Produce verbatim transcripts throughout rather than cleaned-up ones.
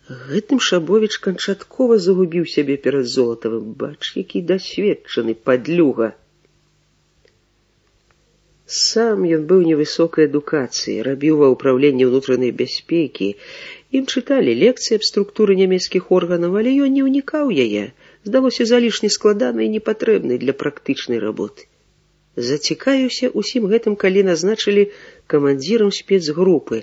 Гэтым Шабовіч канчаткова загубіў сябе перад Золатавым. Бач, які дасведчаны падлюга. Сам ён быў невысокай адукацыі, рабіў ва ўпраўленні ўнутранай бяспекі. Ім чыталі лекцыі аб структуры нямецкіх органаў, але ён не ўнікаў яе. Здалося залішне складанай і непатрэбнай для практычнай работы. Зацікавіўся усім гэтым, калі назначылі камандзірам спецгрупы.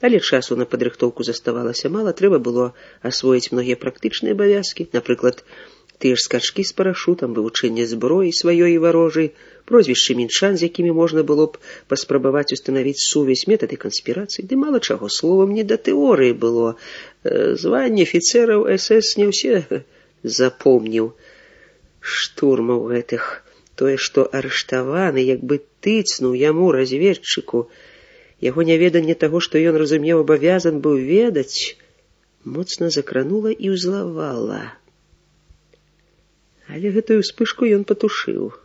Але часу на падрыхтоўку заставалася мала, трэба было асвоіць многія практычныя абавязкі, напрыклад, тыя ж скачкі з парашутам, вывучэнне зброі сваёй і варожай, прозвішчы мінчан, з якімі можна было б паспрабаваць устанавіць сувязь, метады канспірацыі, ды мала чаго, словам, не да тэорыі было. Званне афіцэраў эс эс не ўсе запомніў. Штурмаў гэтых, тое, што арыштаваны, як бы тыцнуў яму, разведчыку. Яго няведанне таго, што ён, разумеў, абавязан быў ведаць, моцна закранула і ўзлавала. Але гэтую ўспышку ён патушыў.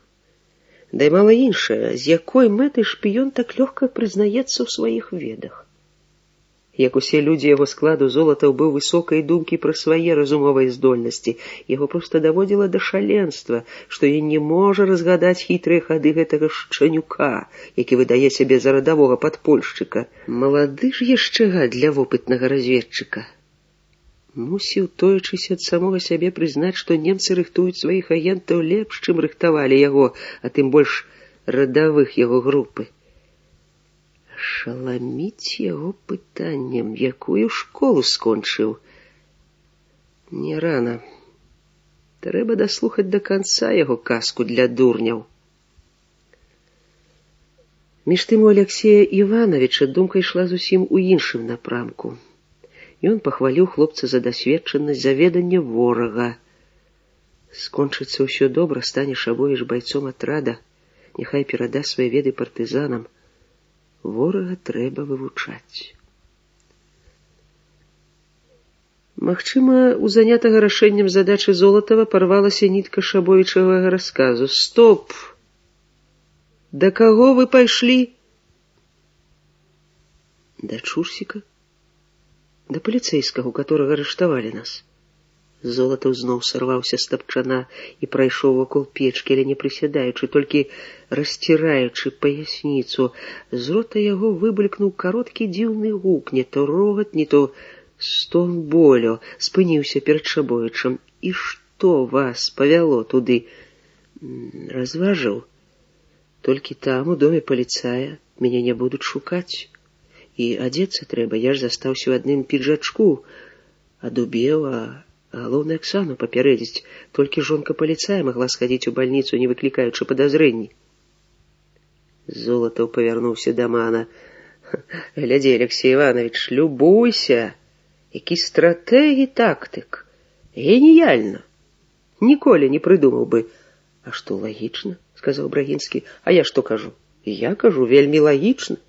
Да і мала іншае, з якой мэтай шпіён так лёгка прызнаецца ў сваіх ведах. Як усе людзі яго складу, Золатаў быў высокай думкі пра свае разумовыя здольнасці. Яго проста даводзіла да шаленства, што ён не можа разгадаць хітрыя хады гэтага шчанюка, які выдае сябе за радавога падпольшчыка. Малады ж яшчэ гад для вопытнага разведчыка. Мусіў, тоячыся ад самога сябе, прызнаць, што немцы рыхтуюць сваіх агентаў лепш, чым рыхтавалі яго, а тым больш радавых яго групы. Шаламіць яго пытаннем, якую школу скончыў. Не рана. Трэба даслухаць да канца яго казку для дурняў. Між тым у Аляксея Івановича думка ішла зусім у іншым напрамку. Ён пахваліў хлопца за дасведчанасць, за веданне ворага. Скончыцца ўсё добра, стане Шабовіч байцом атрада, няхай перада свае веды партызанам. Ворага трэба вывучаць. Магчыма, у занятага рашэннем задачы Золатава парвалася нітка Шабовічавага расказу. Стоп! Да каго вы пайшлі? Да Чурсіка? Да паліцэйскага, у которага арыштавалі нас. Золатаў зноў сарваўся з тапчана і прайшоў вакол печкі, але не прысядаючы, толькі расціраючы паясніцу. З рота яго выбулькнуў кароткі дзіўны гук, не то рогат, не то стон болю. Спыніўся перад Шабовічам. І што вас павяло туды? Разважыў. Толькі там, у доме паліцая, мяне не будуць шукаць. І адзецца трэба, я ж застаўся ў адным піджачку, адубеў, а галоўна Аксану папярэдзіць. Толькі жонка паліцая магла схадзіць у бальніцу, не выклікаючы падазрэнні. Золатаў павярнуўся да мана. Глядзі, Аляксей Іванович, любуйся, які стратэг і тактык. Геніяльна. Ніколі не прыдумаў бы. А што лагічна, сказаў Брагінскі. А я што кажу? Я кажу, вельмі лагічна.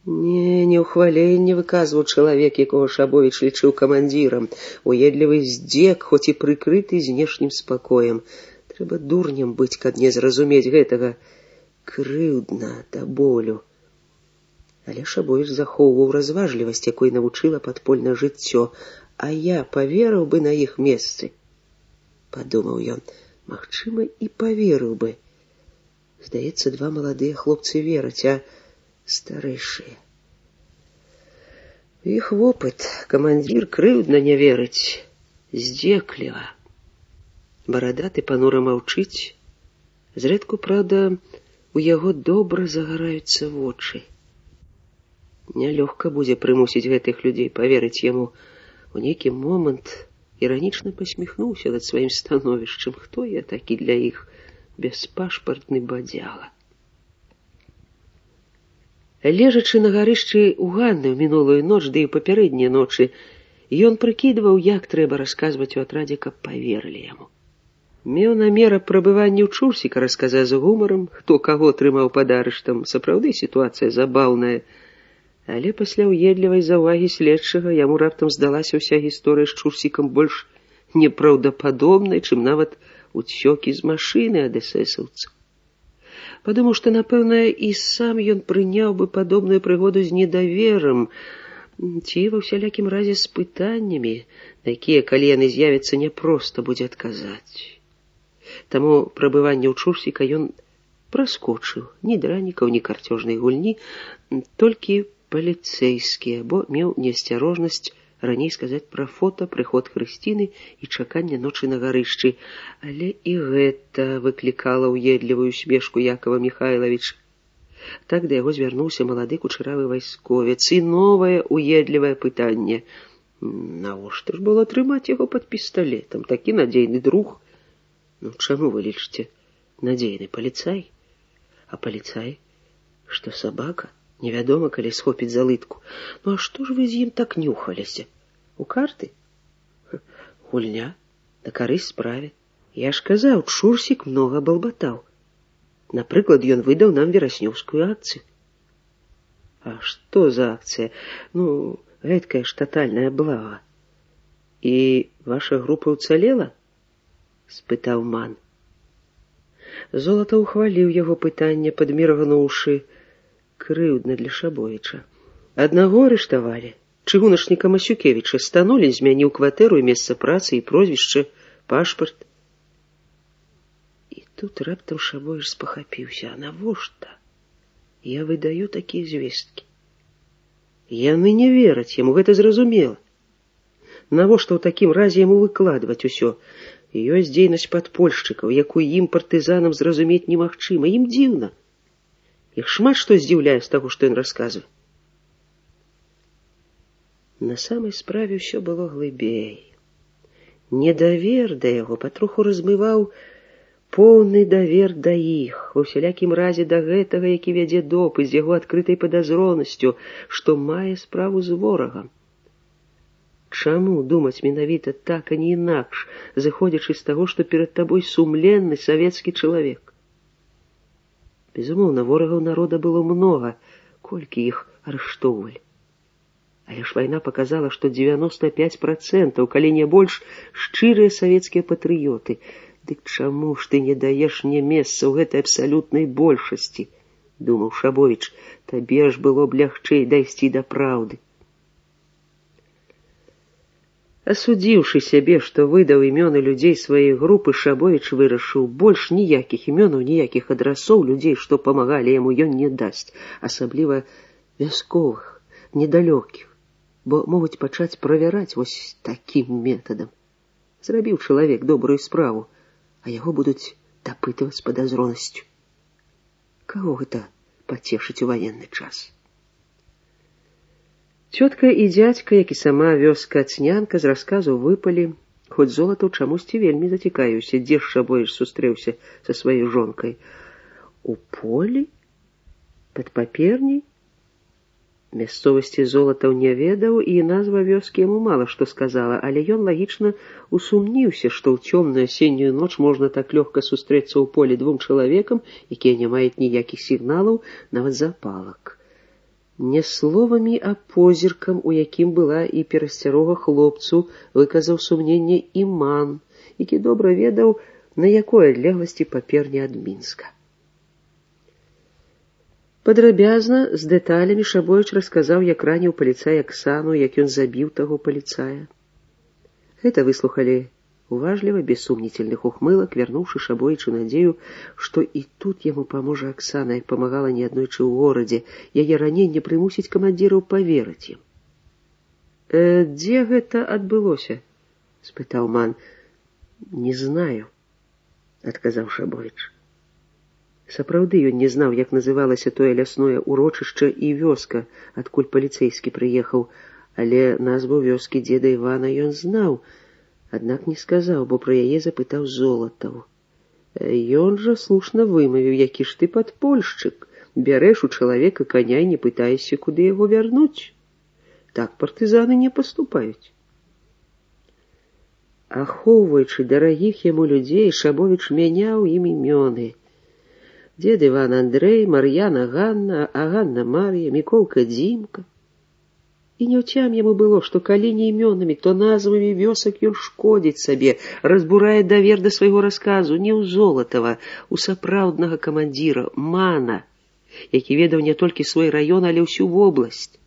Не, не ўхваленне выказваў чалавек, якога Шабовіч лічыў камандзірам. Уедлівы здзек, хоць і прыкрыты знешнім спакоем. Трэба дурнем быць, каб не зразумець гэтага. Крыўдна да болю. Але Шабовіч захоўваў разважлівасць, якой навучыла падпольнае жыццё. А я паверыў бы на іх месцы. Падумаў ён, магчыма, і паверыў бы. Здаецца, два маладыя хлопцы вераць, а старэйшыя. Іх вопыт, камандзір крыўдна не верыць, здзекліва. Барадаты панура маўчыць. Зрэдку, праўда, у яго добра загараюцца вочы. Нялёгка будзе прымусіць гэтых людзей паверыць яму. У нейкі момант іранічна пасміхнуўся над сваім становішчам. Хто я такі для іх беспашпартны бадзяга? Лежачы на гарышчы ў Ганны ў мінулую ноч, ды і папярэднія ночы, ён прыкідваў, як трэба расказваць у атрадзе, каб паверылі яму. Меў намер прабывання ў Чурсіка расказаць з гумарам, хто каго трымаў пад арыштам. Сапраўды сітуацыя забаўная. Але пасля ўедлівай заўвагі следчага яму раптам здалася ўся гісторыя з Чурсікам больш непраўдападобнай, чым нават уцёкі з машыны ад эсэсаўцаў. Падумаў, што, напэўна, і сам ён прыняў бы падобную прыгоду з недаверам. ці ва ўсялякім разе з пытаннямі, на якія, калі яны з'явяцца, няпроста будзе адказаць. Таму прабыванне ў Чурсіка ён праскочыў. Ні дранікаў, ні карцёжнай гульні, толькі паліцэйскія, бо меў неасцярожнасць раней сказаць пра фота, прыход Хрысціны і чаканне ночы на гарышчы. Але і гэта выклікала ўедлівую смешку Якова Міхайлавіча. Так да яго звярнуўся малады кучаравы вайсковец. І новае уедлівае пытанне. Навошта ж было трымаць яго пад пісталетам? Такі надзейны друг. Ну, чаму вы лічыце надзейны паліцай? А паліцай? Што сабака? Невядома, калі схопіць за лытку. Ну, а што ж вы з ім так нюхаліся? У карты? Гульня. На карысць справе. Я ж казаў, Чурсік многа балбатаў. Напрыклад, ён выдаў нам вераснёўскую акцыю. А што за акцыя? Ну, гэткая ж татальная блага. І ваша група ўцалела? Спытаў Ман. Золата ухваліў яго пытанне, падміргнуўшы. Крыўдна для Шабовіча. Аднаго арыштавалі. Чыгуначніка Масюкевіча Станулін змяніў кватэру і месца працы і прозвішча, пашпарт. І тут раптам Шабовіч спахапіўся. А навошта? Я выдаю такія звесткі. Яны не вераць яму, гэта зразумела. Навошта ў такім разе яму выкладваць усё? Ёсць дзейнасць падпольшчыкаў, якую ім партызанам зразумець немагчыма. Ім дзіўна. Іх шмат што здзіўляе з таго, што ён расказвае. На самай справе ўсё было глыбей. Недавер да яго патроху размываў поўны давер да іх, ва ўсялякім разе да гэтага, які вядзе допыт з яго адкрытай падазронасцю, што мае справу з ворагам. Чаму думаць менавіта так, а не інакш, зыходзячы з таго, што перад табой сумленны савецкі чалавек? Безумоўна, ворагаў народа было многа, колькі іх арыштоўвалі. Але ж вайна паказала, што дзевяноста пяць працэнтаў, калі не больш, шчырыя савецкія патрыёты. Дык чаму ж ты не даеш мне месца ў гэтай абсалютнай большасці? Думаў Шабовіч, табе ж было б лягчэй дайсці да праўды. Асудзіўшы сябе, што выдаў імёны людзей сваёй групы, Шабовіч вырашыў, больш ніякіх імёнаў, ніякіх адрасоў людзей, што памагалі яму, ён не дасць, асабліва вясковых, недалёкіх, бо могуць пачаць правяраць вось такім метадам. Зрабіў чалавек добрую справу, а яго будуць дапытваць з падазронасцю. Каго гэта пацешыць у ваенны час? Цётка і дзядзька, як і сама вёска Ацнянка, з расказу выпалі, хоць Золатаў чамусьці вельмі зацікавіўся, дзе ж Шабовіч сустрэўся са сваёй жонкай. У полі? Пад паперняй? Мясцовасці Золатаў не ведаў, і назва вёскі яму мала што сказала, але ён лагічна усумніўся, што ў цёмную асеннюю ноч можна так лёгка сустрэцца ў полі двум чалавекам, якія не маюць ніякіх сігналаў, нават запалак. Не словамі, а позіркам, у якім была і перасцярога хлопцу, выказаў сумненне і Ман, які добра ведаў, на якой адлегласці паперня ад Мінска. Падрабязна, з дэталямі Шабовіч расказаў, як раніў паліцай Аксану, як ён забіў таго паліцая. Гэта выслухалі уважліва, без сумнительных ухмылак, вярнуўшы Шабовічу надзею, што і тут яму паможа Аксана, як памагала неаднойчы ў горадзе, яе раненне прымусіць камандзіраў паверыць ім. «Э, дзе гэта адбылося?» — спытаў Ман. «Не знаю», — адказаў Шабовіч. Сапраўды ён не знаў, як называлася тое лясное урочышча і вёска, адкуль паліцэйскі прыехаў, але назву вёскі дзеда Івана ён знаў, аднак не сказаў, бо пра яе запытаў Золатаў. Ён жа слушна вымавіў, які ж ты падпольшчык, бярэш у чалавека каня і не пытаешся, куды яго вярнуць. Так партызаны не паступаюць. Ахоўваючы дарагіх яму людзей, Шабовіч мяняў ім імёны. Дзед Іван Андрэй, Мар'яна Ганна, а Ганна Мар'я, Міколка Дзімка. І няўцям яму было, што калі не імёнамі, то назвамі вёсак ён шкодзіць сабе, разбурае давер да свайго расказу не ў Золатава, у сапраўднага камандзіра Мана, які ведаў не толькі свой раён, але ўсю вобласць.